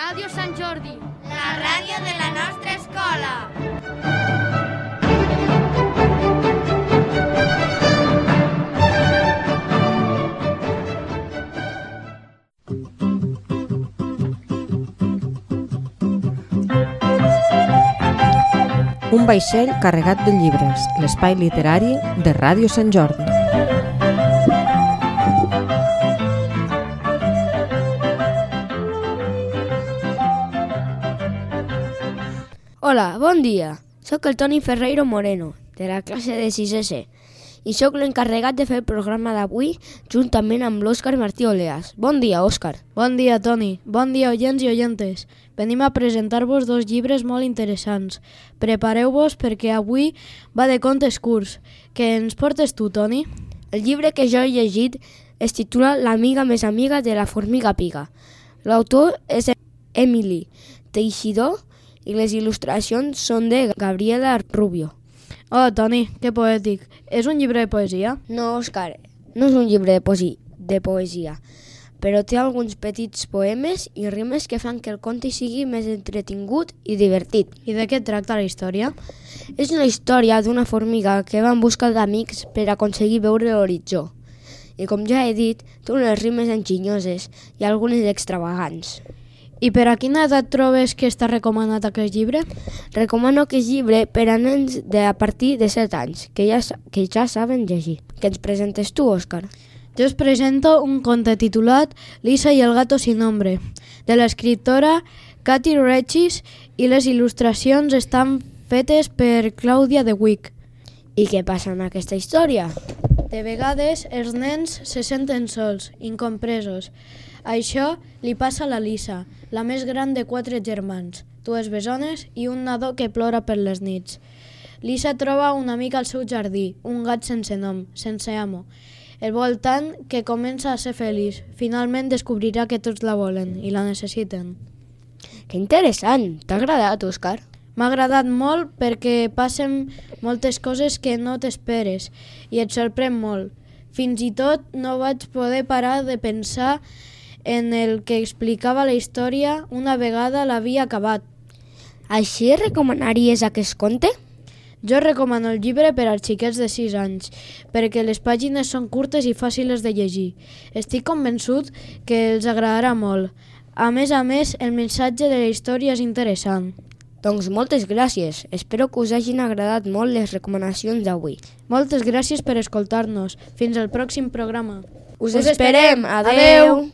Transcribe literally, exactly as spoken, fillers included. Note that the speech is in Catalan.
Ràdio Sant Jordi, la ràdio de la nostra escola. Un vaixell carregat de llibres, l'espai literari de Ràdio Sant Jordi. Hola, bon dia. Soc el Toni Ferreiro Moreno, de la classe de sisè C, i sóc l'encarregat de fer el programa d'avui juntament amb l'Òscar Martí Oleas. Bon dia, Òscar. Bon dia, Toni. Bon dia, oients i oyentes. Venim a presentar-vos dos llibres molt interessants. Prepareu-vos perquè avui va de contes curts. Què ens portes tu, Toni? El llibre que jo he llegit es titula L'amiga més amiga de la formiga piga. L'autor és Emily Teixidor i les il·lustracions són de Gabriela Rubio. Oh, Toni, que poètic. És un llibre de poesia? No, Òscar, no és un llibre de, poesi de poesia, però té alguns petits poemes i rimes que fan que el conte sigui més entretingut i divertit. I de què tracta la història? És una història d'una formiga que va en busca d'amics per aconseguir veure l'horitzó. I com ja he dit, té unes rimes enginyoses i algunes extravagants. I per a quina edat trobes que està recomanat aquest llibre? Recomano aquest llibre per a nens de a partir de set anys, que ja, que ja saben llegir. Què ens presentes tu, Òscar? Jo us presento un conte titulat Lisa y el gato sin nombre, de l'escriptora Katy Regis, i les il·lustracions estan fetes per Clàudia de Wick. I què passa en aquesta història? De vegades els nens se senten sols, incompresos. Això li passa a la Lisa, la més gran de quatre germans, dues bessones i un nadó que plora per les nits. Lisa troba un amic al seu jardí, un gat sense nom, sense amo. El vol tant que comença a ser feliç. Finalment descobrirà que tots la volen i la necessiten. Que interessant! T'ha agradat, Òscar? M'ha agradat molt perquè passen moltes coses que no t'esperes i et sorprèn molt. Fins i tot no vaig poder parar de pensar en el que explicava la història una vegada l'havia acabat. Així recomanaries aquest conte? Jo recomano el llibre per als xiquets de sis anys, perquè les pàgines són curtes i fàcils de llegir. Estic convençut que els agradarà molt. A més a més, el missatge de la història és interessant. Doncs moltes gràcies. Espero que us hagin agradat molt les recomanacions d'avui. Moltes gràcies per escoltar-nos. Fins al pròxim programa. Us esperem. Adeu.